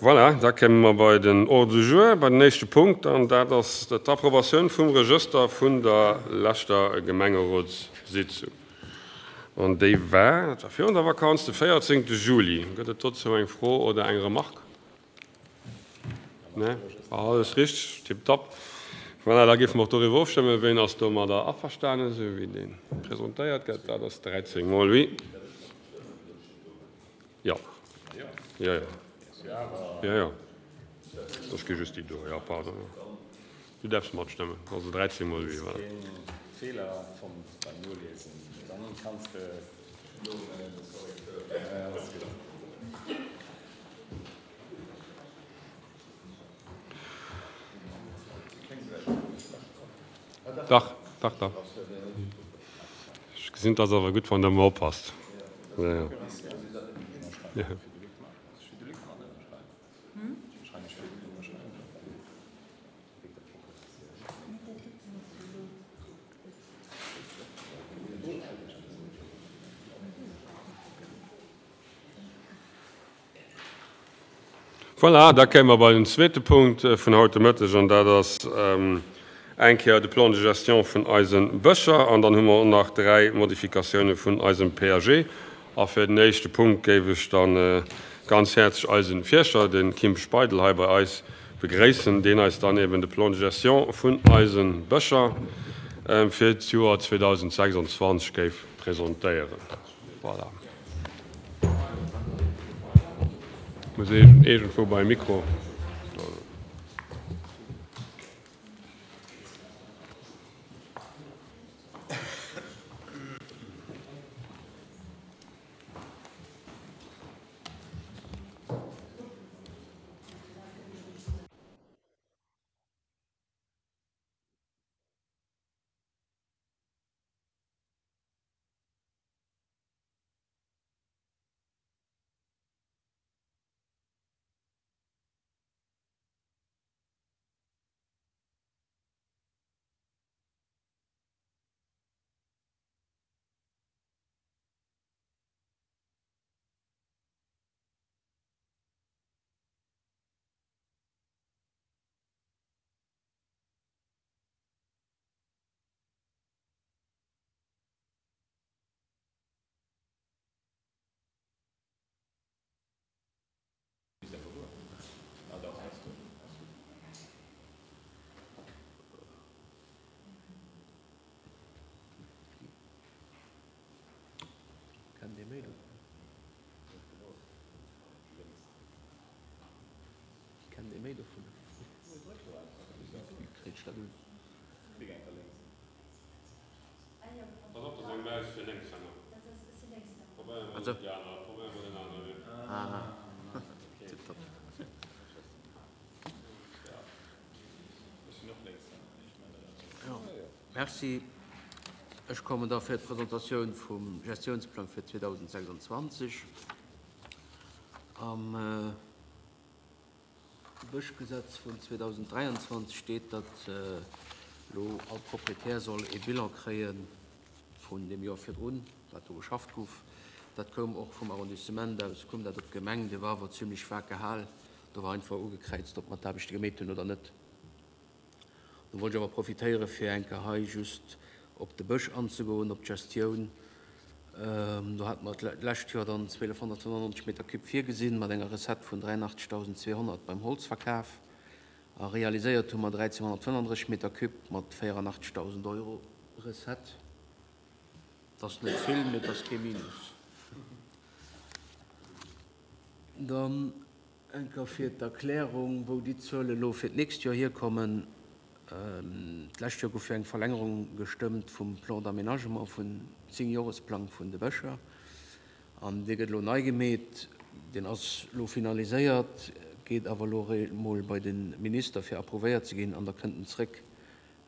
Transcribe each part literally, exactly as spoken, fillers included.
Voilà, da kéime mer bei den Ordre du jour, bei den éischte Punkt, an dat ass d'Approbatioun vum Regëster vun der leschter Gemengerotssitzung. An déi war, dat war virun der Vakanz, de véierzéngte Juli. Gëtt et dozou eng Fro oder eng Remarque? Nee? Alles richteg, tipptopp. Voilà, da géife mer och doriwwer ofstëmmen. Ween ass domadder averstanen, esou wéi dee presentéiert gëtt? Dat ass dräizéng mol oui. Jo. Jo, jo. Jo, jo. Ech gi just déi do. Jo, pardon. Du däerfs matstëmmen. Also dräizéng mol oui, voilà. Dach, dach, dach. Ech gesinn, 't ass awer gutt, wann Der emol oppasst. Jo, jo. Voilà, da kéime mer bei den zweete Punkt vun haut de Mëtteg, an dat ass eng Kéier de Plan de gestion vun eise Bëscher. An dann hu mer och nach dräi Modifikatioune vun eisem P A G. A fir den éischte Punkt géif ech da ganz häerzlech eise Fierschter, de Kim Speidel, hei bei eis begréissen, deen eis dann eben de Plan de gestion vun eise Bëscher fir d'Joer zweedausendsechsundzwanzeg géif presentéieren. Voilà. Muss iergendwou beim Mikro. Merci. Ech kommen da fir d'Presentatioun vum Gestiounsplang fir zweedausendsechsundzwanzeg. Am Bëschgesetz vun zweedausenddräianzwanzeg steet, datt elo all Proprietär soll ee Bilan kréie vun deem Joer virdrun, wat do geschafft gouf. Dat koum och vum Arrondissement aus, koum dat op d'Gemeng. Dee war awer zimlech vag gehal. Do war einfach ugekräizt, ob mer d'Aarbechte gemeet hunn oder net. Do wollt ech awer profitéiere fir eng Kéier hei just op de Bësch anzegoen, op d'Gestioun. Do hate mer d'lescht Joer dann zwielefhonnertfënnefundneunzeg Meter Cube virgesinn, mat enger Recette vun dräiundachtzegtausendzweehonnert beim Holzverkaf. A realiséiert hu mer dräizehnhonnertfënnefundrësseg Meter Cube mat véierundachtzegtausend Euro Recette. Dat ass net vill, mee et ass kee Minus. Dann eng Kéier fir d'Erklärung, wou déi Zuele elo fir d'nächst Joer hierkommen. D'lescht Joer gouf jo eng Verlängerung gestëmmt vum Plan d'aménagement, vun Zéngjoresplang vun de Bëscher. An dee gëtt elo nei gemeet. Deen ass elo finaliséiert, geet awer elo emol bei de Minister, fir approuvéiert ze ginn, an da kënnt en zréck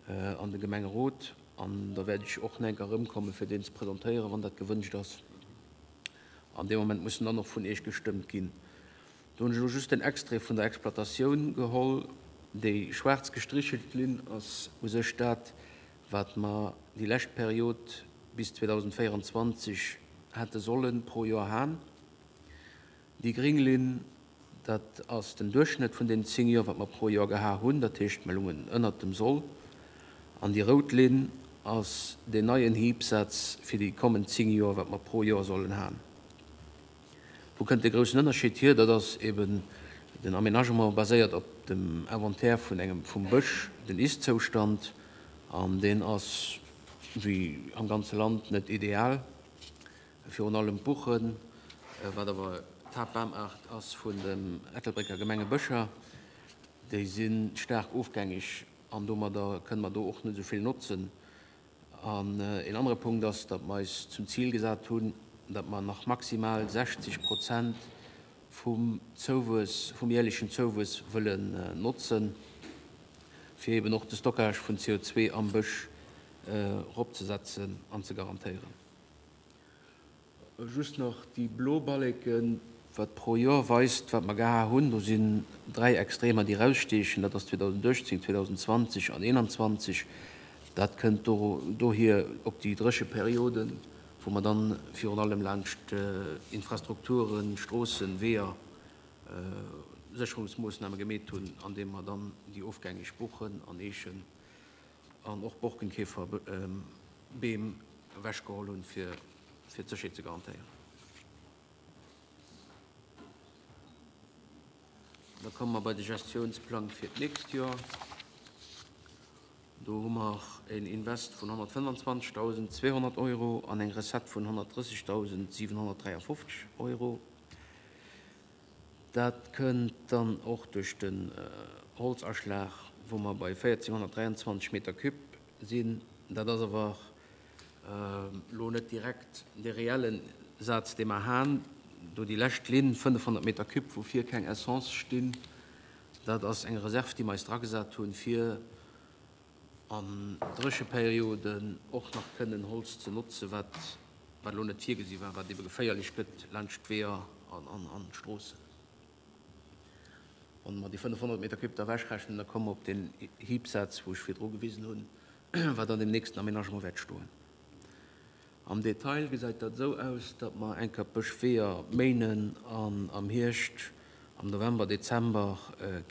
an de Gemengerot. An da wäert ech och nach eng Kéier erëmkommen, fir deen ze presentéieren, wann dat gewënscht ass. An deem Moment muss en dann och vun Iech gestëmmt ginn. Do hunn ech elo just den Extrait vun der Exploitatioun geholl. Déi schwaarz gestrichelt Linn ass u sech dat, wat mer déi lescht Period bis zweedausendvéieranzwanzeg hätte solle pro Joer han. Déi gréng Linn, Dat ass den Duerchschnëtt vun den zéng Joer, wat mer pro Joer geha hunn, dat heescht, mer lungen ënnert dem Soll. An déi rout Linn ass deen neien Hiebsatz fir déi kommend zéng Joer, wat mer pro Joer sollen han. Wou kënnt dee groussen Ënnerscheed hier? Dat ass eben den Aménagement baséiert op dem Inventaire vun engem vum Bësch, den Ist-Zoustand, an deen ass wéi am ganze Land net ideal. Virun allem d'Buchen, wat awer d'Haaptbamaart ass vun den Ettelbrécker Gemengebëscher, déi si staark ofgängeg an domadder kënne mer do och net esou vill notzen. An een anere Punkt ass, datt mer eis zum Zil gesat hunn, datt mer nach maximal sechzeg Prozent vum Zouwuess, vum jährlechen Zouwuess wëllen notzen, fir eben och de Stockage vun C O zwei am Bësch eropzesetzen an ze garantéieren. Just nach déi blo Balleken, wat pro Joer weist, wat mer geha hunn. Do sinn dräi Extremer, déi raussteechen. Dat ass zweedausendachtzehn, zweetausendzwanzeg an einundzwanzeg. Dat kënnt do, dohier op déi dréche Perioden, wou mer dann virun allem laanscht Infrastrukturen, Stroossen, Weeër, Sécherungsmoossname gemeet hunn, an deem mer dann déi ofgängeg Buchen an Eechen an och Borkenkäferbeem ewechgeholl hunn, fir, fir d'Sécherheet ze garantéieren. Da komme mer bei de Gestiounsplang fir d'nächst Joer. Do hu mer een Invest vun honnertfënfundzwanzegtausendzweehonnert Euro an eng Recette vun honnertdrëssigtausendsiewenhonnertdräiundfünfzig Euro. Dat kënnt dann och duerch den Holzaschlag, wou mer bei vierzehnhundertdreiundzwanzig Meter Cube sinn. Dat ass awer lo net direkt de reellen Saz, dee mer han. Do déi lescht Linn, fënnefhonnert Meter Cube, wou fir keng Essence stinn. Dat ass eng Reserve, déi mer eis dra gesat hunn, fir an Drécheperioden och nach kënnen Holz ze notzen, wat, wat lo net virgesi war, wat eben geféierlech gëtt laanscht d'Weeër an, an, an d'Stroossen. Wann mer déi fënnefhonnert Meter Cube da wechrechnen, da komme mer op den Hiebsatz, wou ech virdru gewisen hunn, wat an dem nächsten Aménagement wäert stoen. Am Detail gesäit dat esou aus, datt mer enker Bëschweeër méinen an am Hierscht, am November, Dezember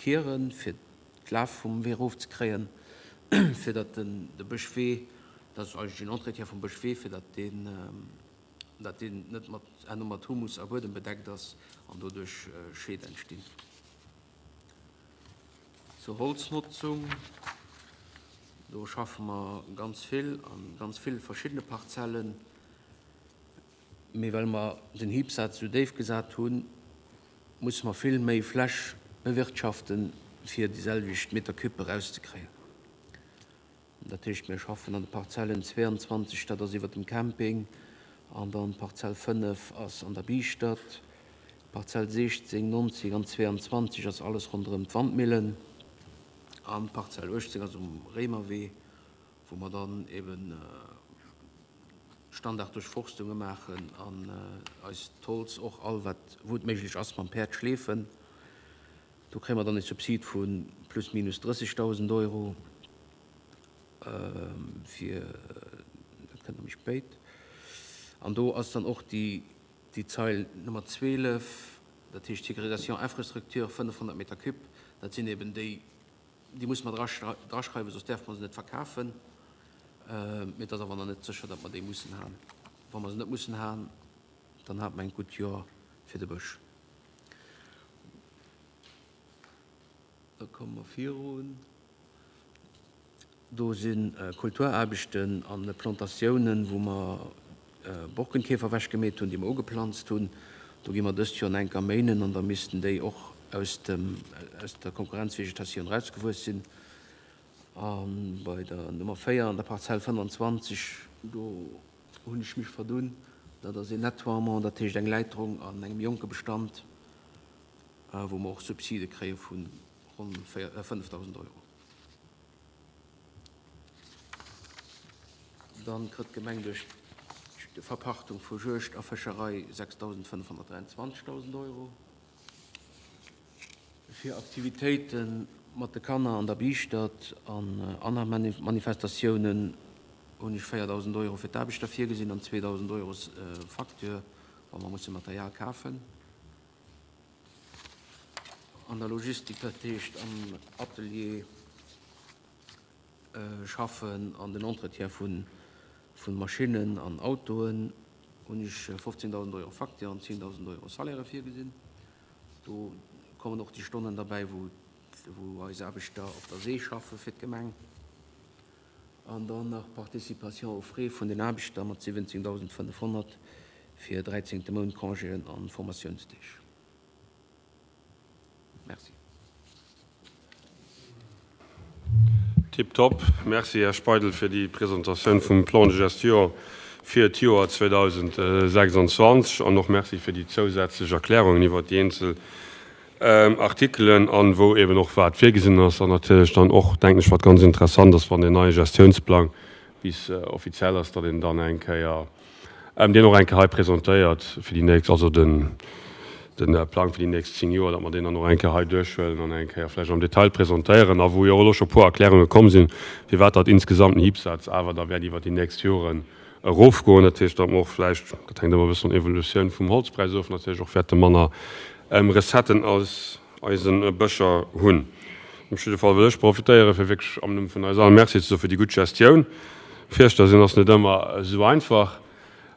kieren, fir d'Laf vum Wee erofzekréien, fir datt den, de Bëschwee, dat ass eigentlich den Entretien vum Bëschwee, fir datt den, datt den net mat, herno mat Humus a Buedem bedeckt ass an doduerch Schäd entstinn. Zur Holznutzung, do schaffen mer ganz vill an ganz vill verschiedene Parzellen. Mee well mer den Hiebsatz so déif gesat hunn, muss mer vill méi Fläch bewirtschaften, fir déi selwecht Meter Cube erauszekréien. Dat heescht, mir schaffen an de Parzellen zweiundzwanzig, dat ass iwwer dem Camping, an dann Parzell fënnef ass an der Bistadt, Parzell sechzehn, neunzehn an zweiundzwanzig ass alles ronderëm d'Wandmillen, an Parzell achtzehn ass um Réimerwee, wou mer dann eben Standarddurchforstunge maachen an eis d'Holz och all, wat, wou et méiglech ass, mam Päerd schleefen. Do kréie mer dann e Subsid vu plus minus drëssigtausend Euro, fir, dat kënnt noch méi spéit. An do ass dann och déi, déi Zeil Nummer zwölf, dat heescht Sécurisation Infrastructure, fënnefhonnert Meter Cube, dat sinn eben déi, déi muss man draschrei-, draschreiwen, sonst darf man se net verkaufen. Mee dat ass awer noch net sécher, datt mer déi mussen han. Wann mer se net mussen han, dann hat man ein gutt Joer fir de Bësch. Da kommen wir virun. Do sinn Kulturaarbechten an Plantatiounen, wou mer Borkenkäfer wechgemeet hunn, déi mer ugeplanzt hunn. Do gi mer dëst Joer enker méinen an da missten déi och aus dem, aus der Konkurrenzvegetatioun rausgewuess sinn. An bei der Nummer véier an der Parzell fënfundzwanzig, do hunn ech mich verdunn. Dat ass een Nettoiement, dat heescht eng Leiterung an engem jonke Bestand, wou mer och Subside kréie vun ronn véier, äh, fënnefdausend Euro. Dann kritt d'Gemeng duerch die Verpachtung vu Juegd a Fëscherei sechstausendfënnefhonnertdreiundzwanzigtausend Euro. Fir Aktivitéiten mat de Kanner an der Bistadt an aner Manif-, Manifestatiounen hunn ech véierdausend Euro fir d'Aarbechter virgesinn an zweedausend Euro, äh, Facture, wa mer musse Material kafen. An der Logistik, dat heescht am Atelier schaffen, an den Entretien vu Maschinnen an Autoen, hunn ech fofzéngdausend Euro Facture an zéngdausend Euro Salaire virgesinn. Do kommen och déi Stonnen derbäi, wou eis Aarbechter op der See schaffe fir d'Gemeng. An dann nach Participation aux frais vun den Aarbechter mat siwwenzéngdausendfënnefhonnert fir dräizéngte Mount Congéen an Formatiounsdeeg. Merci. Tiptop. Merci, Här Speidel, fir déi Presentatioun vum Plan de gestion fir d'Joer zweedausendsechsundzwanzeg an och merci fir déi zousätzlech Erklärungen iwwert déi eenzel Artikelen an wou eben och wat virgesinn ass. An natierlech dann och, denken ech, wat ganz interessant ass, wann deen neie Gestiounsplang bis offiziell ass, datt een dann eng Kéier deen och eng Kéier hei presentéiert fir déi nächst, also den Plang fir déi nächst zéng Joer, datt mer deen dann och eng Kéier hei duerchhuelen an eng Kéier vläicht am Detail presentéieren a wou jo och elo scho e puer Erklärunge komm sinn, firwat datt insgesamt den Hibsaz awer da wäert iwwert déi nächst Joren erofgoen. Dat heescht, datt mer och vläicht, dat hänkt ëmmer e bëssen vun der Evolutioun vum Holzpräis of, natierlech och wäerte manner Recetten aus eise Bëscher hunn. Op jidde Fall wëll ech profitéieren, fir wierklech am Numm vun eis all Merci ze soe fir déi gutt Gestioun. Fierschter sinn ass net ëmmer esou einfach.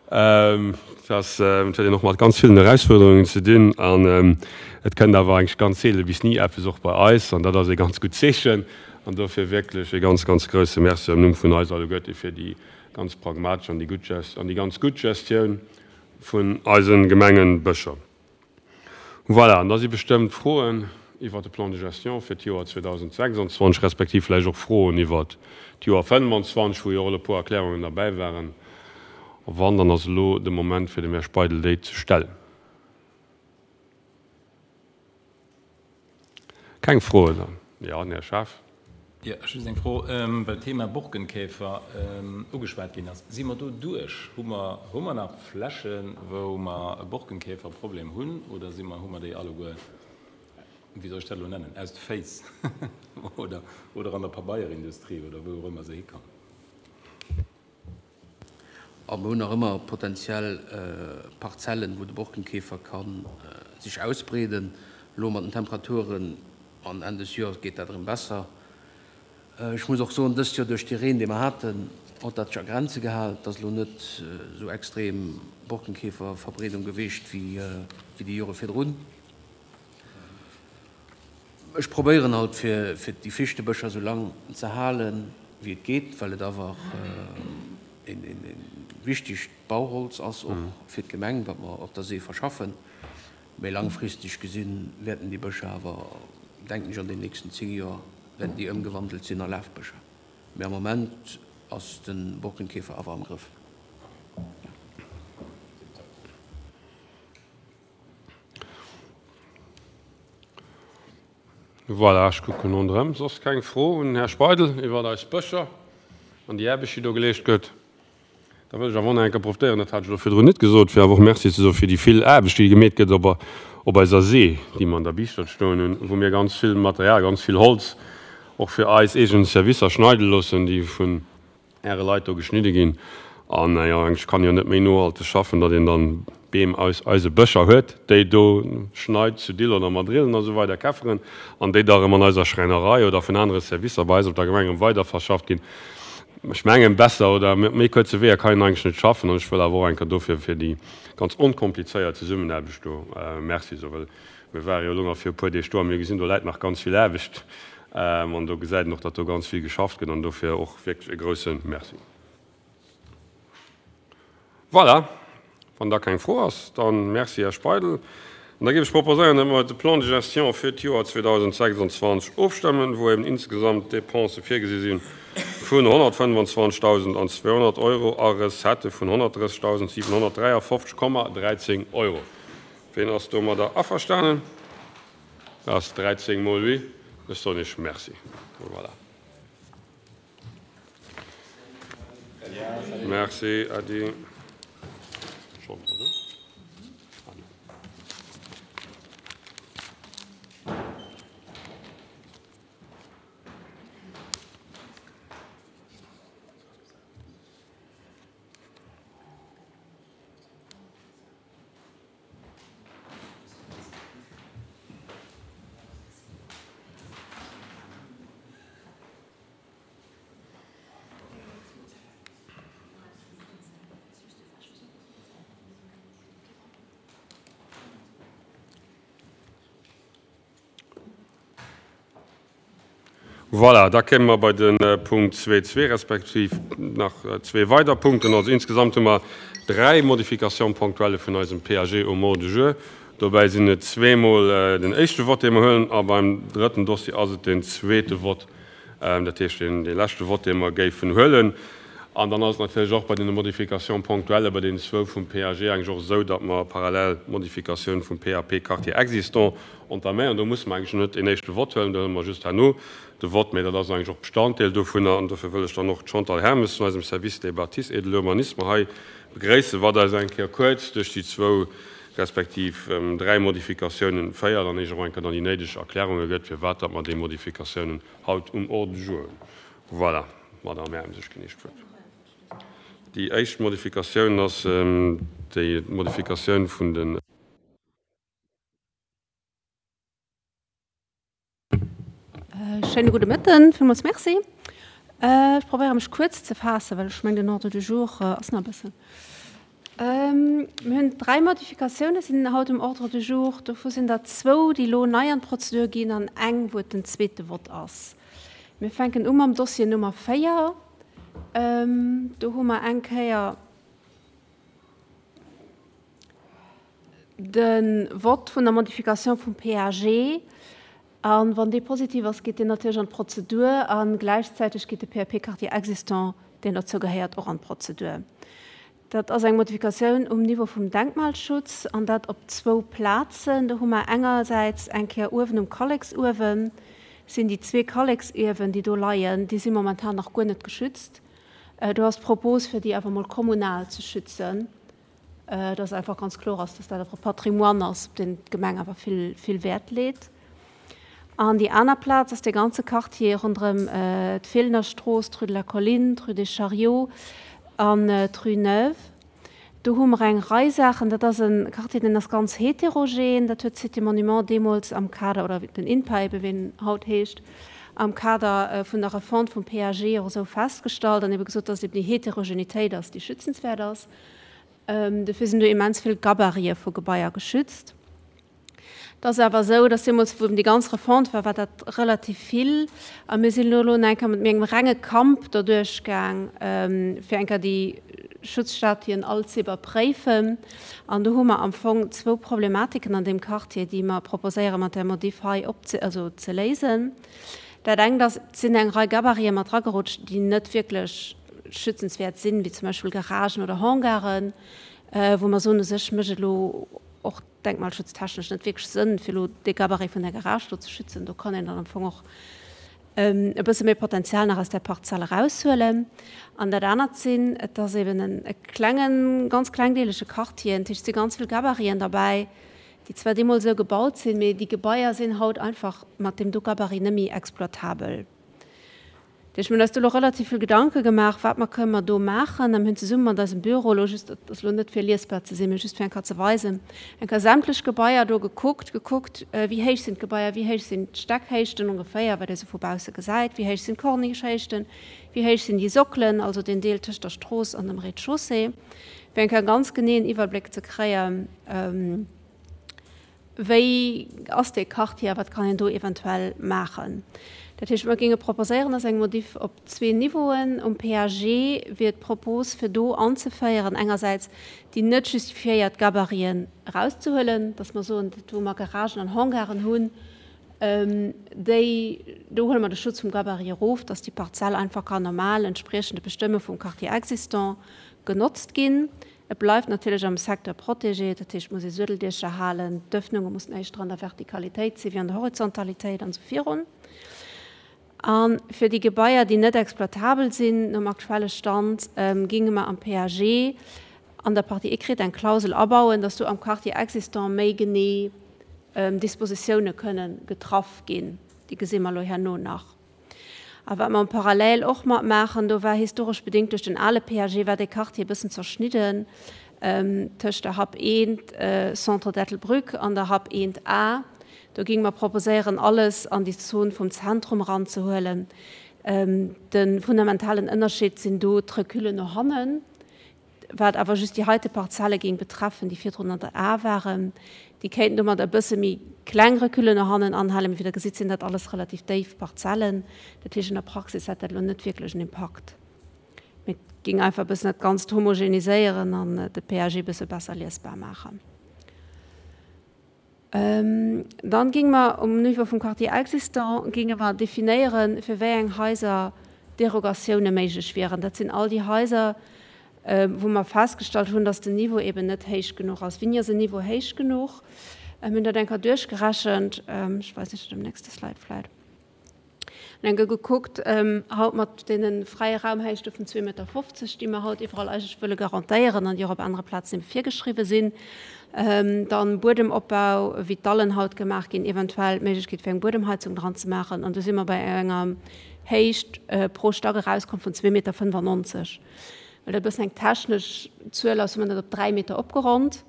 Et ass, et huet een och mat ganz villen Erausfuerderungen ze dinn an et kënnt awer eigentlech ganz seele bis ni eppes och bei eis an dat ass ee ganz gutt Zeechen. An dofir wierklech ee ganz, ganz grouse Merci am Numm vun eis alleguerte fir déi ganz pragmatesch an déi gutt Gest, an déi ganz gutt Gestioun vun eise Gemengebëscher. Voilà, an da si bestëmmt Froen iwwert de Plan de gestion fir d'Joer zweedausendsechsundzwanzeg respektiv vläicht och Froen iwwert d'Joer fënnwandzwanzeg, wou jo och elo e puer Erklärungen derbäi waren. A wann, dann ass elo de Moment fir dem Här Speidel déi ze stellen. Keng Froen dann? Jo, den Här Schaaf. Jo, just eng Fro, well d'Thema Borkenkäfer ugeschwat ginn ass. Si mer do duerch? Hu mer, hu mer nach Flächen, wou mer e Borkenkäferproblem hunn, oder si mer, hu mer déi alleguer, wéi soll ech dat elo nennen, aus de Féiss oder, oder an der Pabeierindustrie oder wou och ëmmer se hikommen? A mer hunn nach ëmmer potenziell Parzellen, wou de Borkenkäfer ka sech ausbreeden. Elo mat den Temperaturen an Enn des Joers geet dat erëm besser. Ech muss och soen, dëst Joer duerch dee Reen, dee mer haten, huet dat sech a Grenze gehal. Et ass elo net esou extrem Borkenkäferverbreedung geweecht wéi déi Jore virdrun. Ech probéieren halt, fir déi Fichtebëscher esou lang ze halen, wéi et geet, well et awer e wichtegt Bauholz ass, och fir d'Gemeng, wat mer op der See verschaffen. Mee langfristeg gesinn wäerten déi Bëscher awer, denken ech, an den nächsten zéng Joer wäerten déi ëmgewandelt sinn a Lafbëscher. Mee am Moment ass de Borkenkäfer awer am Grëff. Voilà, ech kucken ronderëm. Soss keng Fro un den Här Speidel iwwert eis Bëscher an déi Aarbecht, déi do geleescht gëtt? Da wëll ech awer och nach eng Kéier profitéieren, dat hat ech elo virdrun net gesot, fir awer och Merci ze soe fir déi vill Aarbecht, déi gemeet gëtt op op eiser See, déi mer an der Biischtert stoen hunn, wou mir ganz vill Material, ganz vill Holz och fir eis eegen Servicer schneide loossen, déi vun Äre Leit do geschnidde ginn. An jo, eigentlech kann een jo net méi nohalteg schaffen, datt een dann Beem aus eise Bëscher huet, déi do schneit, zu Dillon a Madrillen a sou weider Käfferen, an déi da erëm an eiser Schräinerei oder vun anere Servicer bei eis op der Gemeng erëm weiderverschafft ginn. Ech mengen, besser oder mat méi kuerze Weeër kann een eigentlech net schaffen. An ech wëll awer och eng Kéier dofir fir déi ganz onkomplizéiert Zesummenaarbecht do Merci soen, well mir ware jo elo nach fir e puer Deeg do a mir gesinn, do läit nach ganz vill Aarbecht an do gesäit een och, datt do ganz vill geschafft gëtt an dofir och wierklech e grouse Merci. Voilà, wann da keng Fro ass, da Merci, Här Speidel. An da géif ech proposéieren, datt mer de Plan de gestion fir d'Joer zweedausendsechsundzwanzeg ofstëmmen, wou eben insgesamt Dépensë virgesi si vun honnertfënnwandzwanzegdausendzweehonnert Euro a Recettë vun honnertdrëssigdausendsiwenhonnertdräiafofzeg Komma dräizéng Euro. Ween ass domadder averstanen? Dat ass dräizéng mol oui. Ech soen Iech Merci. Voilà. Merci, Äddi. Voilà, da kéime mer bei de Punkt zwee zwee respektiv nach zwee weider Punkten. Also insgesamt hu mer dräi Modifications ponctuelles vun eisem P A G um Ordre du jour. Dobäi sinn et zweemol den éischte Vott, dee mer huelen, a beim drëtten Dossier ass et den zweete Vott, dat heescht den, dee leschte Vott, dee mer géifen huelen. An dann ass et natierlech och bei den Modifications ponctuelles, bei den zwou vum P A G eigentlich och esou, datt mer parallel Modifikatioun vum P A P Quartier existant entaméieren. Do muss mer eigentlich net den éischte Vott huelen, do huele mer just herno de Vott, mee dat ass eigentlich och Bestanddeel dovunner. An dofir wëll ech dann och d'Chantal Hermes vun eisem Service des Bâtisses et de l'Urbanisme hei begréissen, wat eis eng Kéier kuerz duerch déi zwou respektiv dräi Modifikatiounen féiert an eech och eng Kéier dann déi néideg Erklärunge gëtt, firwat datt mer déi Modifikatiounen haut um Ordre du jour hunn. Voilà, Madame Hermes, ech ginn Iech d'Wuert. Déi éischt Modifikatioun ass déi Modifikatioun vun den Schéine gudde Mëtten, villmools Merci. Ech probéiere mech kuerz ze faassen, well ech mengen, den Ordre du jour ass nach e bëssen. Mir hunn dräi Modifikatioune sinn haut um Ordre du jour. Dovu sinn der zwou, déi elo nei an d'Prozedur ginn an eng, wou et den zweete Vott ass. Mir fänken u mam Dossier Nummer véier. Do hu mer eng Kéier de Vott vun der Modifikatioun vum P A G. An wann dee positiv ass, geet deen natierlech an d'Prozedur an gläichzäiteg geet de P A P-Quartier existant, deen dozou gehéiert, och an d'Prozedur. Dat ass eng Modifikatioun um Niveau vum Denkmalschutz an dat op zwou Plazen. Do hu mer engersäits eng Kéier uewen um Kalleksuewen, sinn déi zwee Kalleksiewen, déi do leien, déi si momentan nach guer net geschützt. Do ass d'Propos, fir déi awer mol kommunal ze schützen, dass einfach ganz kloer ass, dass dat awer Patrimoine ass, op deen d'Gemeng awer vill, vill Wäert leet. An déi aner Plaz ass de ganze Quartier ronderëm d'Feelener Strooss, d'Rue de la Colline, d'Rue des Chariots an d'Rue Neuve. Do hu mer eng Rei Saachen. Dat ass e Quartier, deen ass ganz heterogen. Dat huet Cité Monument deemools am Kader, oder den INPA ebe wéi en haut heescht, am Kader vun der Refonte vum P A G och esou festgestallt an ebe gesot, dass eben déi Heterogenitéit ass, déi schützenswäert ass. Dofir sinn do immens vill Gabarite vu Gebaier geschützt. Dat ass awer esou, dass deemools, wou eben déi ganz Refonte war, war dat relativ vill. A mir sinn elo eng Kéier mat engem renge Kamp doduerch gaang, fir eng Kéier déi Schutzstatuen all ze iwwerpréifen. An do hu mer am Fong zwou Problematiken an deem Quartier, déi mer proposéiere mat der Modif hei opze-, also ze léisen. Dat engt ass, et sinn eng Rei Gabariten mat ragerutscht, déi net wierklech schützenswäert sinn, wéi zum Beispill Garagen oder Hangaren, wou mer soen, u sech mécht et elo och denkmalschutztechnesch net wierklech Sënn, fir elo dee Gabarit vun der Garage do ze schützen. Do kann een dann am Fong och e bësse méi Potenzial nach aus der Parzelle raushuelen. An dat anert sinn, et ass eben en e klengen, ganz klengdeelege Quartier, dat heescht, et si ganz vill Gabariten derbäi, déi zwar deemools esou gebaut sinn, mee déi Gebaier sinn haut einfach mat deem do Gabarit net méi exploitabel. Dat heescht, mir hunn eis do elo relativ vill Gedanke gemaach, wat mer kënnen mer do maachen. A mir hunn zesumme mat eisem Büro elo just, dat ass elo net fir liesbar ze sinn, mee just fir eng Kéier ze weisen, eng Kéier sämtlech Gebaier do gekuckt, gekuckt, wéi héich sinn d'Gebaier, wéi héich sinn d'Steckhéichten ongeféier, wat ee sou vu bausse gesäit, wéi héich sinn d'Cornichehéichten, wéi héich sinn déi Sockelen, also den Deel tëscht der Strooss an dem Rez-de-chaussée, fir eng Kéier ganz geneeën Iwwerbléck ze kréien, wéi ass dee Quartier, wat kann een do eventuell maachen. Dat heescht, mir géinge proposéieren, dass eng Modif op zwee Niveauen um P A G wier d'Propos, fir do anzeféieren, engersäits déi net justifiéiert Gabariten erauszehuelen, dass mer soen, dat wou mer Garagen an Hangaren hunn, déi, do huele mer de Schutz vum Gabarit erof, dass déi Parzell einfach kann normal entspriechend de Bestëmme vum Quartier existant genotzt ginn. Et bleift natierlech am Secteur protégé, dat heescht, muss ee Suedeldiecher halen, d'Öffnunge mussen éischter an der Vertikalitéit sinn wéi an der Horizontalitéit an esou virun. An fir déi Gebaier, déi net exploitabel sinn, nom aktuelle Stand, ginge mer am P A G an der Partie écrite eng Klausel abauen, dass do am Quartier existant méi genee Dispositioune kënnen getraff ginn. Déi gesi mer elo herno nach. A wat mer am Parallel och mat maachen, do war historesch bedingt duerch den ale P A G, war de Quartier e bëssen zerschnidden, tëscht der Hub eent, Centre d'Ettelbruck an der Hub eent A. Do ginge mer proposéieren, alles an déi Zon vum Zentrum ranzehuelen. De fundamentalen Ënnerscheed sinn do d'Recule no hannen, wat awer just déi heite Parzelle géing betreffen, déi virdrun an der A waren. Déi kéinten domat e bësse méi kleng Recullen no hannen anhalen, mee wéi Der gesitt, sinn dat alles relativ déif Parzellen. Dat heescht, an der Praxis hätt dat elo net wierklech en Impakt. Mee et géing einfach e bëssen dat Ganzt homogeniséieren an de PAG e bësse besser liesbar maachen. Dann géinge mer um Niveau vum Quartier existant géinge mer definéieren, fir wéi eng Haiser Derogatioune méiglech wieren. Dat sinn all déi Haiser, wou mer festgestallt hunn, dass den Niveau eben net héich genuch ass. Wéini ass en Niveau héich genuch? Mir hunn dat eng Kéier duerchgerechent, ech weisen Iech dat um nächste Slide vläicht. Mir hunn eng Kéier gekuckt, haut mat deene fräie Raumhéichte vun zwee Meter fofzeg, déi mer haut iwwerall eigentlech wëlle garantéieren an déi och op anere Plazen ebe virgeschriwwen sinn, dann Buedemopbau, wéi d'Dallen haut gemaach ginn, eventuell d'Méiglechkeet fir eng Buedemheizung dran ze maachen. An do si mer bei enger Héicht pro Stack erauskomm vun zwee Meter fënnfannonzeg. Well dat e bëssen eng technesch Zuel ass, hu mer dat op dräi Meter opgeronnt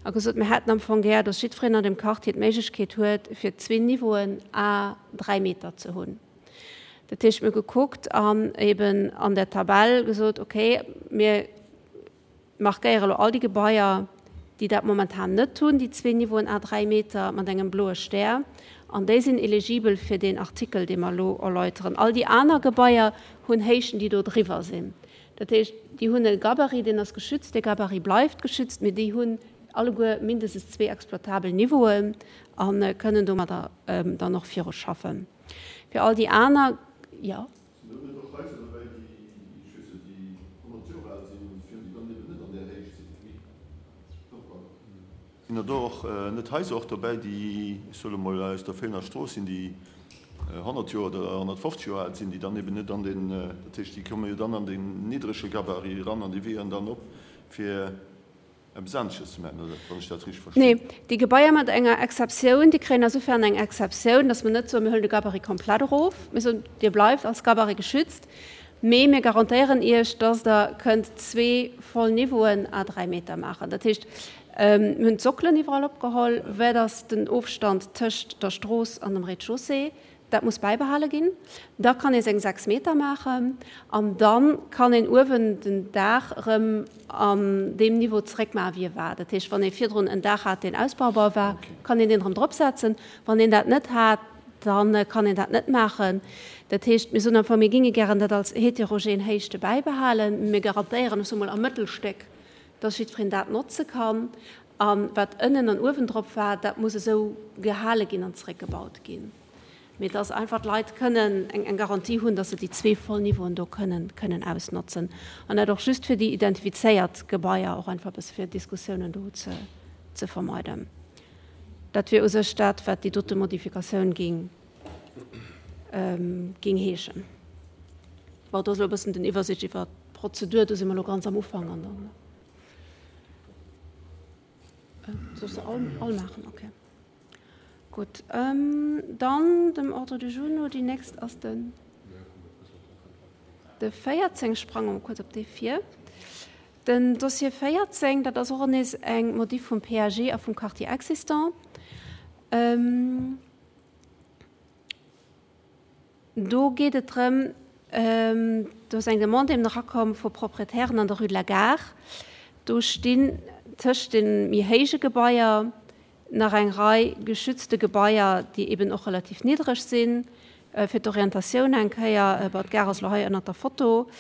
a gesot, mir hätten am Fong gär, dass jiddwereen an deem Quartier d'Méiglechkeet huet, fir zwee Niveauen à dräi Meter ze hunn. Dat heescht, mir hu gekuckt an eben an der Tabell gesot, okay, mir markéiere elo all déi Gebaier, déi dat momentan net hunn, déi zwee Niveauen à dräi Meter mat engem bloe Stär, an déi sinn eligibel fir deen Artikel, dee mer elo erläuteren. All déi aner Gebaier hunn Héichten, déi do driwwer sinn. Dat heescht, déi hunn e Gabarit, deen ass geschützt, dee Gabarit bleift geschützt, mee déi hunn alleguer mindestens zwee exploitabel Niveauen a kënnen domadder dann och viruschaffen. Fir all déi aner, jo. Sinn do net och Haiser dobäi, déi, ech weess net, déi honnert Joer al sinn, fir déi dann eben net an där Héicht sinn? Doch, pardon. Sinn der do och net Haiser och dobäi, déi, ech soe lo mol, aus der Feelener Strooss sinn, déi honnert Joer oder honnertfofzeg Joer al sinn, déi dann eben net an den, dat heescht, déi komme jo dann an den niddrege Gabarit eran an déi weeën dann op, fir eppes anesches ze maachen, oder wann ech dat richteg verstinn? Nee, déi Gebaier mat enger Exceptioun, déi kréien asouferan eng Exceptioun, datt mer net soen, mir huelen de Gabarit komplett erof. Mir soen, Dir bleift als Gabarit geschützt, mee mir garantéieren Iech, datt Der kënnt zwee voll Niveauen à dräi Meter maachen. Dat heescht, mir hunn d'Sockelen iwwerall opgeholl, wat ass den Ofstand tëscht der Strooss an dem Rez-de-chaussée, Dat muss bäibehale ginn. Da kann ee seng sechs Meter maachen an da kann een uewen den Daach erëm an deem Niveau zeréckmaachen, wéi e war. Dat heescht, wann ee virdrun en Daach hat, deen ausbaubar war, kann een deen erëm dropsetzen. Wann een dat net hat, da kann een dat net maachen. Dat heescht, mir soen am Fong, mir géinge gären dat als heterogen Héichte bäibehalen, mee mir garantéieren, ech soe mol am Mëttelstéck, dass jiddwereen dat notze kann. A wat ënnen an uewen drop war, dat muss esou gehale ginn an zeréckgebaut ginn. Mee dass einfach d'Leit kënnen eng Garantie hunn, dass se déi zwee voll Niveauen do kënnen kënnen ausnotzen. An dat och just fir déi identifizéiert Gebaier, och einfach e bësse fir Diskussiounen do ze ze vermeiden. Dat wier u sech dat, wat déi dote Modifikatioun ging ging heeschen. Bon, do ass elo e bëssen den Iwwersicht iwwer d'Prozedur. Do si mer elo ganz am Ufank an dann. Soll ech se all all maachen? Okay. Gutt, dann dem Ordre du jour no, déi nächst ass den de véierzéng. Sprange mer kuerz op dee vir. Den Dossier véierzéng, dat ass och nees eng Modif vum PAG a vum Quartier existant. Do geet et drëm, do ass eng Demande eben erakomm vu Proprietären an der Rue de la Gare. Do stinn tëscht de méi héije Gebaier nach eng Rei geschützte Gebaier, déi eben och relativ niddreg sinn. Fir d'Orientatioun eng Kéier, bon, d'Gare ass elo hei ënnert der Foto.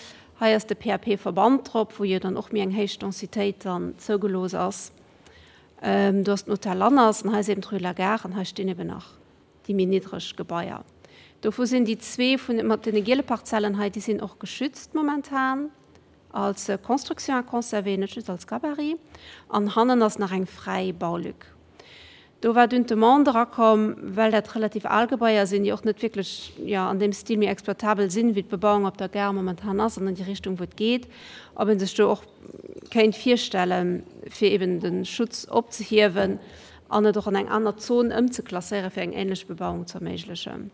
Hei ass de P A P-Verband drop, wou jo dann och méi eng héich Densitéit dann zougelooss ass. Do ass den Hotel Lanners an hei ass eben d'Rue de la Gare an hei stinn eben nach déi méi niddreg Gebaier. Dovu sinn déi zwee vun mat deene giele Parzellen hei, déi sinn och geschützt momentan als Construction à conserver, net just als Gabarit. An hannen ass nach eng fräi Baulück. Do war dunn d'Demande erakomm, well dat relativ al Gebaier sinn, déi och net wierklech, jo, an deem Stil méi exploitabel sinn, wéi d'Bebauung op der Gare momentan ass an an déi Richtung, wou et geet, ob ee sech do och kéint virstellen, fir eben de Schutz opzehiewen an et och an eng aner Zon ëmzeklasséieren, fir eng ähnlech Bebauung ze erméiglechen.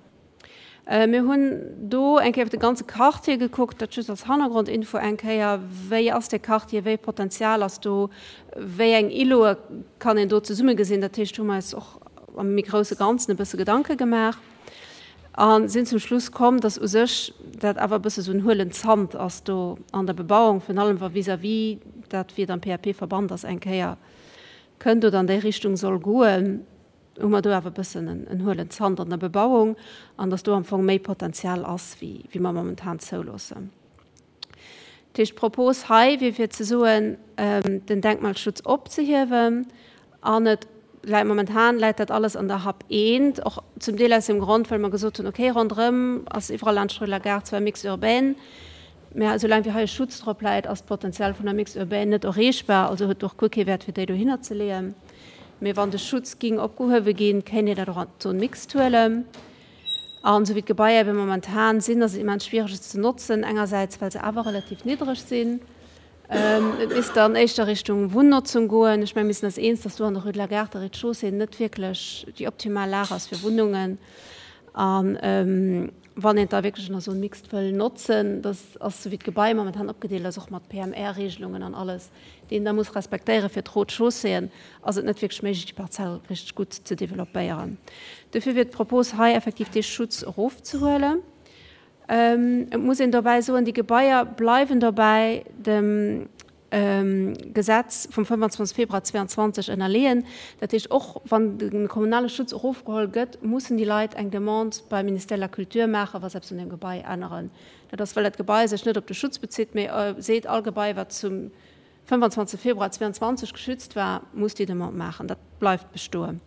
Mir hunn do eng Kéier iwwer de ganze Quartier gekuckt, dat just als Hannergrondinfo eng Kéier, wéi ass dee Quartier, wéi e Potenzial ass do, wéi eng Îlote kann een do zesumme gesinn. Dat heescht, hu mer eis och am méi grousse Ganzen e bësse Gedanke gemaach a sinn zum Schluss komm, dass u sech dat awer e bësse sou en huelen Zant ass do an der Bebauung, virun allem wa vis-à-vis dat, wéi et am P A P-Verband ass, eng Kéier kënnt oder an déi Richtung soll goen, hu mer do awer e bëssen en huelen Zant an der Bebauung an dass do am Fong méi Potenzial ass, wéi mer momentan zouloossen. Dat heescht, d'Propos hei wier fir ze soen, den Denkmalschutz opzehiewen an et läit, momentan läit dat alles an der Hap eent, och zum Deel aus dem Grond, well mer gesot hunn, okay, ronderëm ass iwwerall laanscht d'Rue de la Gare zwar Mixte urbaine, mä esoulaang wéi hei e Schutz drop läit, ass d'Potenzial vun der Mixte urbaine net erreechbar, also huet et och guer kee Wäert fir déi dohinner ze leeën. Mee wann de Schutz ging opgehuewe ginn, kéint een dat och an d'Zone mixte huelen. An esou wéi d'Gebaier ebe momentan sinn, ass et immens schwiereg et ze notzen, engersäits well se awer relativ niddreg sinn. Et misst dann éischter Richtung Wunnnotzung goen. Ech menge mir sinn eis eens, datt do an der Rue de la Gare de Rez-de-chaussée net wierklech déi optimal Lag ass fir Wunnungen. A wann een et da wierklech an der Zone mixte wëll notzen, dat ass esou wéi d'Gebai momentan opgedeelt ass, och mat P M R-Regelungen an alles, déi een da muss respektéiere fir d'Rez-de-chausséeën, ass et net wierklech méiglech, déi Parzell richteg gutt ze developpéieren. Dofir wier d'Propos hei effektiv dee Schutz erofzehuelen. Et muss een dobäi soen, déi Gebaier bleiwen dobäi dem Gesetz vum fënnefanzwanzeg Februar zweeanzwanzeg ënnerleeën. Dat heescht, och wann de kommunale Schutz erofgeholl gëtt, mussen déi Leit eng Demande beim Ministère de la Culture maachen, wa se eppes un deem Gebai änneren. Dat ass, well dat Gebai sech net op de Schutz bezitt, mee seet, all Gebai, wat zum fënnefanzwanzeg Februar zweeanzwanzeg geschützt war, muss déi Demande maachen. Dat bleift bestoen.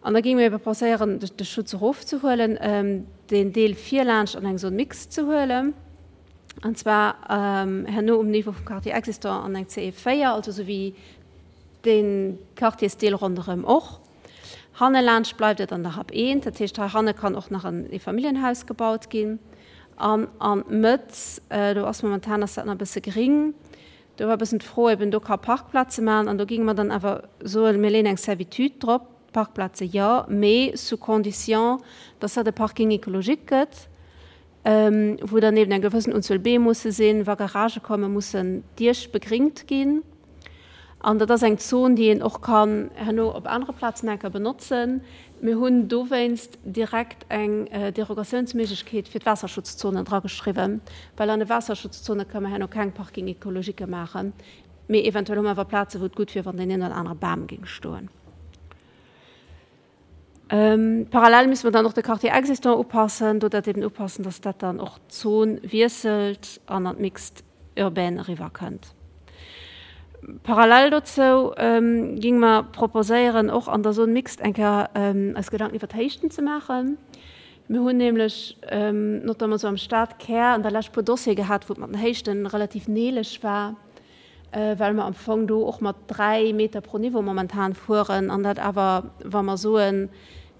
An da géinge mir ebe proposéieren, de Schutz erofzehuelen, deen Deel virlaanscht an eng Zone mixte ze huelen, an zwar herno um Niveau vum Quartier existant an eng C E véier, also esou wéi dee Quartiersdeel ronderëm och. Hanne laanscht bleift et an der Hap eent, dat heescht, hei hanne kann och nach en Eefamilljenhaus gebaut ginn. An an d'Mëtt, do ass momentan ass dat nach e bësse gering, do war e bëssen d'Fro eben, do ka Parkplaze maachen, an do géinge mer dann awer soen, mir leeën eng Servitude drop, Parkplaze jo, mee sous condition, dass dat e Parking écologique gëtt, wou dann eben eng gewëssen Unzuel Beem musse sinn, wa Garagë kommen, mussen d'Diech begringt ginn. An dat ass eng Zon, déi een och kann herno op anere Plazen enker benotzen. Mir hunn dowéinst direkt eng Derogatiounsméiglechkeet fir d'Waasserschutzzonen drageschriwwen, well an de Waasserschutzzone ka mer herno keng Parking écologique maachen, mee eventuell hu mer awer Plazen, wou et gutt wier, wann deen een oder anere Bam géing stoen. Parallel müssen wir dann och de Quartier existant upassen, do dat eben upassen, dass dat dann och d'Zon wiesselt an an d'Mixte urbaine eriwwer kënnt. Parallel dozou géinge mer proposéieren, och an der Zone mixte eng Kéier eis Gedanken iwwer d'Héichten ze maachen. Mir hunn nämlech notamment esou am Stadkär an der Lescht puer Dossiere gehat, wou et mat den Héichten relativ neeleg war, well mer am Fong do och mat dräi Meter pro Niveau momentan fueren an dat awer, wa mer soen,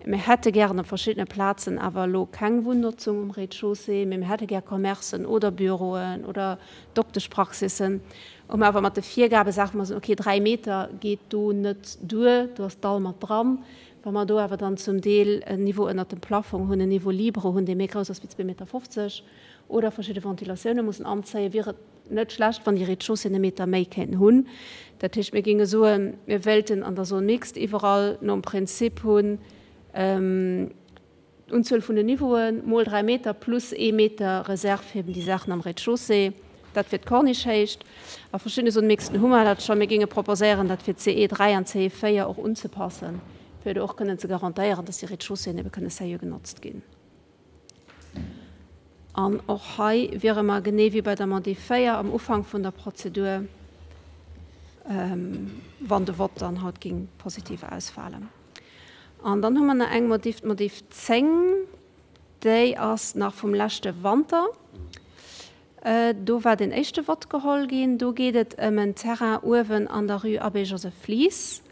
mir hätte gären op verschiddene Plazen awer elo keng Wunnnotzung um Rez-de-chaussée, mee mir hätte gär Commercen oder Büroen oder Dokteschpraxissen, hu mer awer mat de Virgabe Saachen, wou mer soen, okay, dräi Meter geet do net duer, do ass d'Dall mat dran. Wa mer do awer dann zum Deel en Niveau ënnert dem Plafong hunn, en Niveau libre hunn, dee méi grouss ass wéi zwee Meter fofzeg, oder verschidde Ventilatioune mussen anzéien, wier et net schlecht, wann déi Rez-de-chaussée e Meter méi kéinten hunn. Dat heescht, mir géinge soen, mir wéilten an der Zone mixte iwwerall nom Prinzip hunn, d'Unzuel vun den Niveauen mol dräi Meter plus ee Meter Reserve fir eben déi Saachen am Rez-de-chaussée. Dat fir d'Corniche-Héicht. A verschiddene Zone mixten hu mer dat scho. Mir géinge proposéieren, dat fir C E dräi an C E véier och unzepassen, fir do och kënnen ze garantéieren, dass déi Rez-de-chausséeën ebe kënne sérieux genotzt ginn. An och hei wiere mer genee wéi bei der Modif véier am Ufank vun der Prozedur, wann de Vott dann haut ging positiv ausfalen. An dann hu mer nach eng Modif, d'Modif zéng, déi ass nach vum leschte Wanter. Do war den éischte Vott geholl ginn. Do geet et ëm en Terrain uewen an der Rue Abbé Joseph Flies.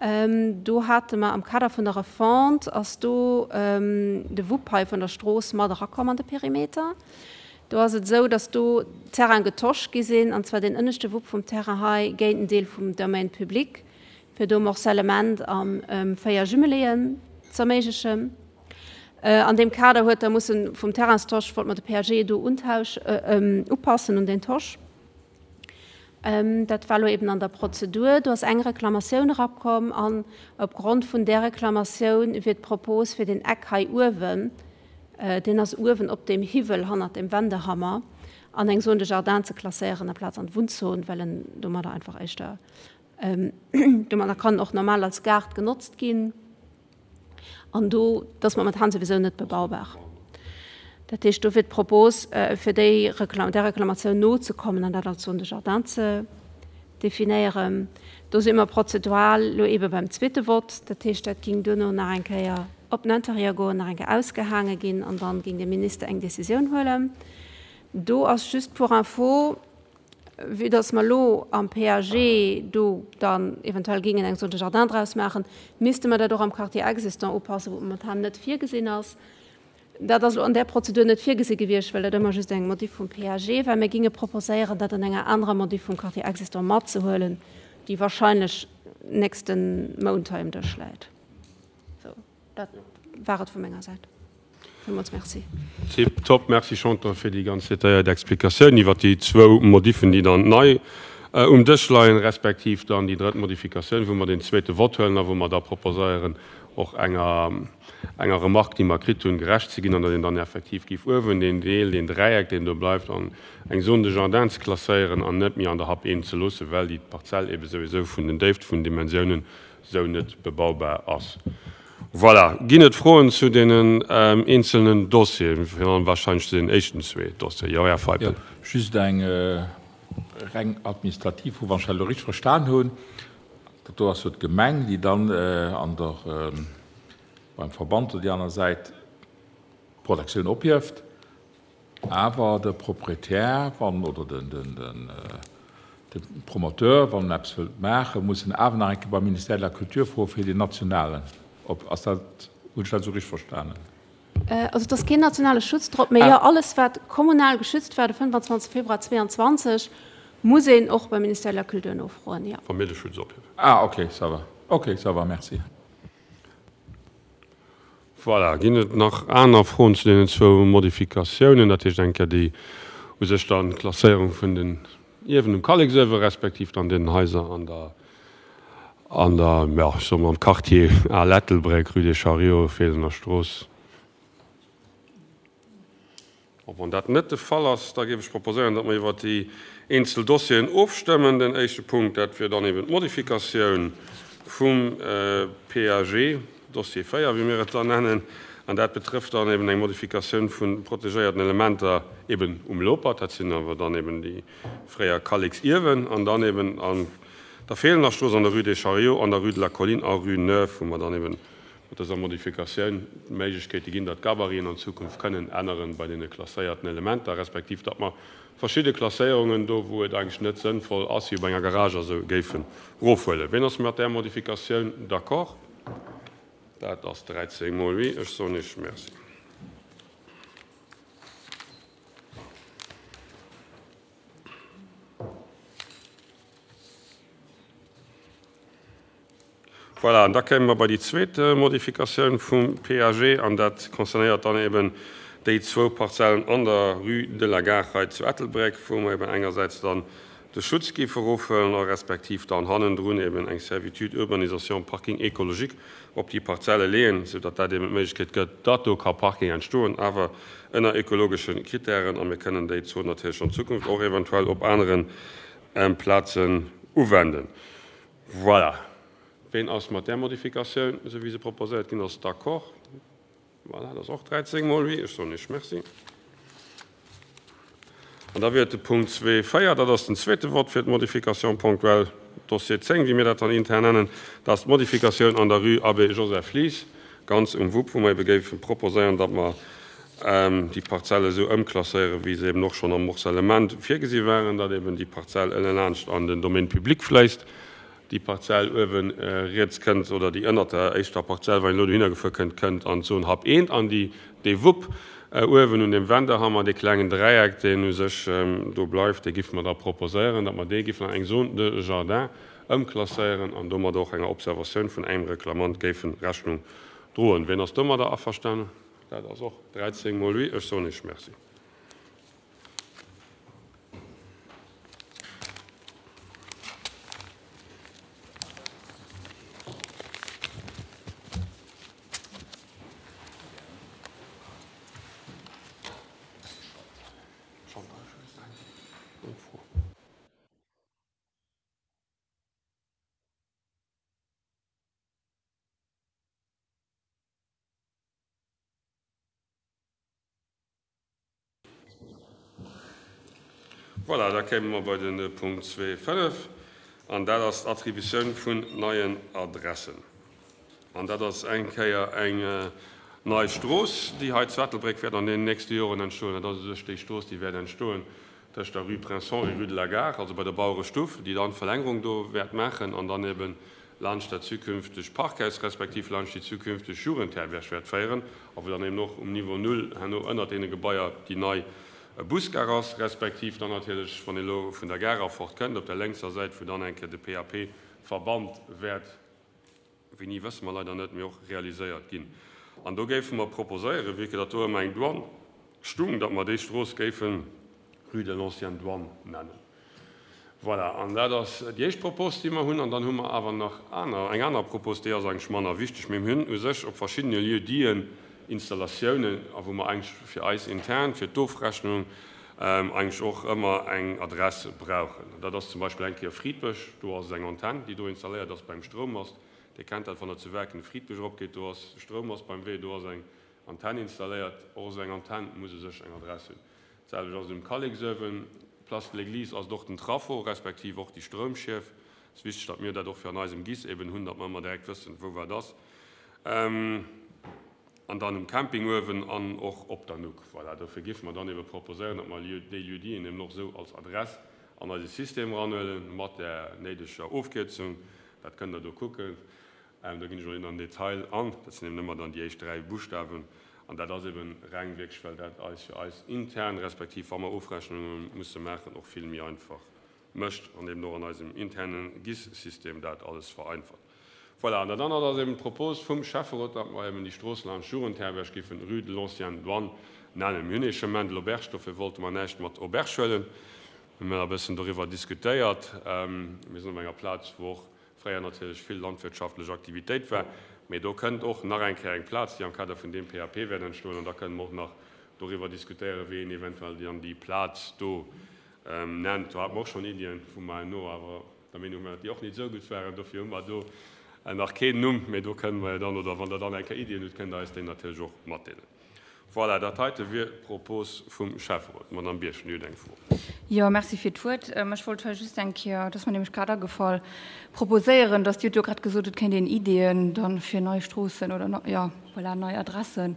Do hate mer am Kader vun der Refonte ass do de Wupp hei vun der Strooss mat erakomm an de Perimeter. Do ass et esou, datt do Terrain getosch gi sinn, an zwar den ënneschte Wupp vum Terrain hei géint en Deel vum Domaine public, fir do Morcellement an véier Jumeléeën ze erméiglechen. An deem Kader huet da mussen vum Terrainstosch, wollt mer de P A G do untausch, upassen un den Tosch. Dat war lo eben an der Prozedur. Do ass eng Reklamatioun erakomm an opgrond vun där Reklamatioun wier d'Propos fir den Eck hei uewen, deen ass uewen op dem Hiwwel hannert dem Wendehammer, an eng Zone de Jardin ze klasséieren amplaz an d'Wunnzon, well en domadder einfach éischter Domadder kann och normal als Gaart genotzt ginn. An do, dat ass momentan souwisou net bebaubar. Dat heescht, do wier d'Propos, fir déi Reklam, där Reklamatioun nozekommen an dat als Zone de jardin ze definéieren. Do si mer prozedural elo eebe beim zweete Vott. Dat heescht, dat géing duerno nach eng Kéier op den Intérieur goen, nach eng Kéier ausgehaange ginn an dann géing de Minister eng Décisioun huelen. Do ass just pour info, vue dass mer elo am PAG do dann eventuell géingen eng Zone de jardin draus maachen, misste mer dat och am Quartier existant upassen, wou et momentan net virgesinn ass. Dat ass elo an där Prozedur net virgesi gewiescht, well dat ëmmer just eng Modif vum PAG war. Mir géinge proposéieren, dat an enger anerer Modif vum Quartier existant matzehuelen, déi wahrscheinlech nächste Mount hei um Dësch läit. Sou, dat war et vu menger Säit. Villmools Merci. Tip top. Merci Chantal fir déi ganz detailléiert Explikatioun iwwert déi zwou Modiffen, déi dann nei um Dësch leien, respektiv dann déi drëtt Modifikatioun, wou mer deen zweete Vott huelen a wou mer da proposéieren, och enger enger Remarque, déi mer kritt hunn, gerecht ze ginn an datt een dann effektiv géif uewen deen Deel, deen Dräieck, deen do bleift, an eng Zone de jardin ze klasséieren an net méi an der Hap eent ze loossen, well déi Parzell ebe souwisou vun den Déift, vun den Dimensiounen sou net bebaubar ass. Voilà. Ginn et Froen zu deenen eenzelnen Dossieren, virun allem wahrscheinlech zu deenen éischten zwee Dossieren? Jo, Här Feipel. Jo, just eng reng administrativ Fro, wann ech dat elo richteg verstan hunn. Dat do ass jo d'Gemeng, déi dann an der, beim Verband oder déi aner Säit d'Protektioun ophieft, awer de Proprietär, wann, oder den, den, den, de Promoteur, wann en eppes wëllt maachen, muss en awer nach eng Kéier beim Ministère de la Culture froen, fir deen nationalen op. Ass dat, hunn ech dat esou richteg verstanen? Also et ass keen nationale Schutz drop, mee jo, alles wat kommunal geschützt war de fënnefanzwanzeg Februar zweeanzwanzeg, muss een och beim Ministère de la Culture nofroen, jo. Wa mir de Schutz ophiewen. Ah, okay, ça va. Okay, ça va, merci. Voilà, ginn et nach aner Froen zu deenen zwou Modifikatiounen? Dat heescht eng Kéier déi u sech dann d'Klasséierung vun den Ierwen um Kalleksuewe respektiv dann den Haiser an der, an der, jo, ech soe mol am Quartier Al Ettelbréck, Rue des Chariots, Feelener Strooss. Bon, wann dat net de Fall ass, da géif ech proposéieren, datt mer iwwert déi eenzel Dossieren ofstëmmen. Den éischte Punkt, dat wier dann eben d'Modifikatioun vum PAG, Dossier véier, wéi mir et dann nennen, an dat betrëfft dann eben eng Modifikatioun vu protegéierten Elementer eben um Lopert, dat sinn awer dann eben déi fréier Kalleksiewen, an dann eben an der Feelener Strooss, an der Rue des Chariots, an der Rue de la Colline a Rue Neuve, wou mer dann eben mat dëser Modifikatioun d'Méiglechkeete ginn, datt d'Gabariten an Zukunft kënnen änneren bei deene klasséierten Elementer, respektiv datt mer verschidde Klasséierungen do, wou et eigentlech net sënnvoll ass, wéi bei enger Garage a sou, géifen erofhuelen. Ween ass mat där Modifikatioun d'accord? Dat ass dräizéng mol oui. Ech soen Iech Merci. Voilà, an da kéime mer bei déi zweet Modifikatioun vum PAG, an dat concernéiert dann eben déi zwou Parzellen an der Rue de la Gare hei zu Ettelbréck, wou mer eben engersäits dann de Schutz géife erofhuelen a respektiv dann hannendrun eben eng Servitude urbanisation parking écologique op déi Parzelle leeën, soudatt dat eben d'Méiglechkeet gëtt, datt do ka Parking entstoen, awer ënner ökologesche Kritären. A mir kënnen déi Zon natierlech an Zukunft och eventuell op anere Plazen uwenden. Voilà. Ween ass mat där Modifikatioun, esou wéi se proposéiert ginn ass, d'accord? Voilà, dat ass och dräizéng mol oui. Ech soen Iech Merci. An da wier et de Punkt zwee véier, dat ass den zweete Vott fir d'Modification ponctuelle, Dossier zéng, wéi mir dat dann intern nennen. Dat ass d'Modifikatioun an der Rue Abbé Joseph Lies, ganz um Wupp, wou mer ebe géife proposéieren, datt mer déi Parzelle esou ëmklasséieren, wéi se eben och schonn am Morcellement virgesi waren, datt eben déi Parzell ënnelaanscht an den Domaine public fléisst. Déi Parzell uewe riets kënnt, oder déi ënnert der éischter Parzell, wann een elo dohinner gefuer kënnt, kënnt an d'Zon Hub eent. An déi, dee Wupp uewen un deem Wendehammer, dee klengen Dräieck, deen u sech do bleift, dee giffe mer da proposéieren, datt mer dee giffen an eng Zone de jardin ëmklasséieren an domadder och enger Observatioun vun engem Reklamant géife Rechnung droen. Wien ass domadder averstanen? Dat ass och dräizéng mol oui. Ech soen Iech Merci. Voilà, da kéime mer bei de Punkt zwee fënnef, an dat ass d'Attributioun vun neien Adressen. An dat ass eng Kéier eng nei Strooss, déi hei zu Ettelbréck wäert an deenen nächste Joren entstoen. Dat ass u sech déi Strooss, déi wäert entstoen tëscht der Rue Prince Henri, Rue de la Gare, also bei der Bauerestuff, déi dann d'Verlängerung do wäert maachen an dann eben laanscht dat zukünftegt Parkhaus respektiv laanscht déi zukünfteg Jugendherberg wäert féieren a wou dann eben och um Niveau null herno ënnert deene Gebaier déi nei Busgare ass, respektiv dann natierlech, wann ee lo vun der Gare erfort kënnt, op der lénkser Säit, wou dann eng Kéier de P A P-Verband wäert, wéini wësse mer leider net, mee och realiséiert ginn. An do géife mer proposéieren, vue que datt do ëmmer eng Douane stung, datt mer déi Strooss géife Rue de l'ancienne Douane nennen. Voilà, an dat ass déi éischt Propos, déi mer hunn. An dann hu mer awer nach aner, eng aner Propos, déi ass eigentlech manner wichteg, mee mir hunn u sech op verschiddene Lieu-diten Installatiounen, a wou mer eigentlech fir eis intern, fir d'Ofrechnung, eigentlech och ëmmer eng Adress brauchen. Dat ass zum Beispill eng Kéier Fridbësch, do ass eng Antenn, déi do installéiert ass beim Stroummast. Dir kennt dat, wann Der zu Werken de Fridbësch eropgeet, do ass Stroummast beim Wee, do ass eng Antenn installéiert. Och esou eng Antenn muss u sech eng Adress hunn. D'selwecht ass et um Kalleksuewen, Place de l'Église ass et och den Trafo, respektiv och déi Stroumschief. Et ass wichteg, datt mir dat och fir an eisem GIS eben hunn, datt mer ëmmer direkt wëssen, wou wat ass. An dann um Camping uewen an och op der Nuck. Voilà, dofir géife mer dann ebe proposéieren, datt mer déi Lieu-diten eben och esou als Adress an eise System eranhuelen, mat där néideger Ofkierzung. Dat kënnt Der do kucken. Do ginn ech elo net an den Detail an. Dat sinn eben ëmmer dann déi éischt dräi Buschtawen. An dat ass eben reng wierklech, well dat eis fir eis intern, respektiv wa mer Ofrechnunge musse maachen, och vill méi einfach mécht an eben och an eisem interne GIS-System dat alles vereinfacht. Voilà, an dat anert ass eben d'Propos vum Schäfferot, datt mer eben déi Strooss laanscht Jugendherberg géifen Rue de l'ancienne Douane nennen. Mir hunn ee Chemin de l'Auberge, dofir wollte mer näischt mat Auberge huelen. Mir hunn e bëssen doriwwer diskutéiert. Mir sinn op enger Plaz, wou och fréier natierlech vill landwirtschaftlech Aktivitéit war, mee do kënnt och nach eng Kéier eng Plaz, déi am Kader vun deem P A P wäert entstoen, an da kënne mer och nach doriwwer diskutéieren, wéi een eventuell dann déi Plaz do nennt. Do hate mer och schonn Iddien, wou mer herno awer der Meenung waren, datt déi och net esou gutt waren. Dofir hu mer do nach keen Numm, mee do kënne mer jo dann, oder wann Der dann eng Kéier Iddien hutt, kënnt Der eis déi natierlech och matdeelen. Voilà, dat heite wier d'Propos vum Schäfferot. Madame Birchen, Dir hutt eng Fro. Jo, merci fir d'Wuert. Ech wollt hei just eng Kéier, dat ass mer nämlech grad agefall, proposéieren, dass Dir hutt jo grad gesot, et kéint een Ideeën dann fir nei Stroossen oder, jo, voilà, nei Adressen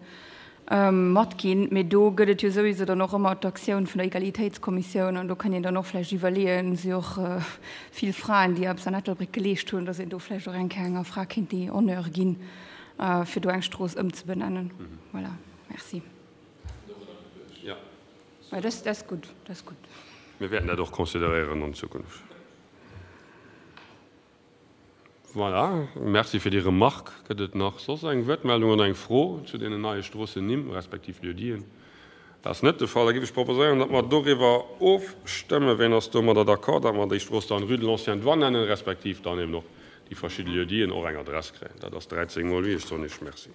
matginn. Mee do gëtt et jo souwiso dann och ëmmer d'Aktioun vun der Egalitéitskommissioun an do kënnt een dann och vläicht iwwerleeën, si och vill Fraen, déi eppes an Ettelbréck geleescht hunn, dass een do vläicht och eng Kéier enger Fra kéint déi Honneur ginn, fir do eng Strooss ëmzebenennen. Voilà. Merci. Ja. Ja, das, das ist gut, das ist gut. Mir wäerten dat och consideréieren an Zukunft. Voilà, merci fir déi Remarque. Gëtt et nach soss eng Wuertmeldung oder eng Fro zu deenen neie Stroossennimm respektiv Lieu-diten? Dat ass net de Fall. Da géif ech proposéieren, datt mer doriwwer ofstëmmen. Wien ass domadder d'accord, datt mer déi Strooss dann Rue de l'Ancienne Douane nennen, respektiv dann eben och déi verschidde Lieu-diten och eng Adress kréien? Dat ass dräizéng mol oui. Ech soen Iech Merci.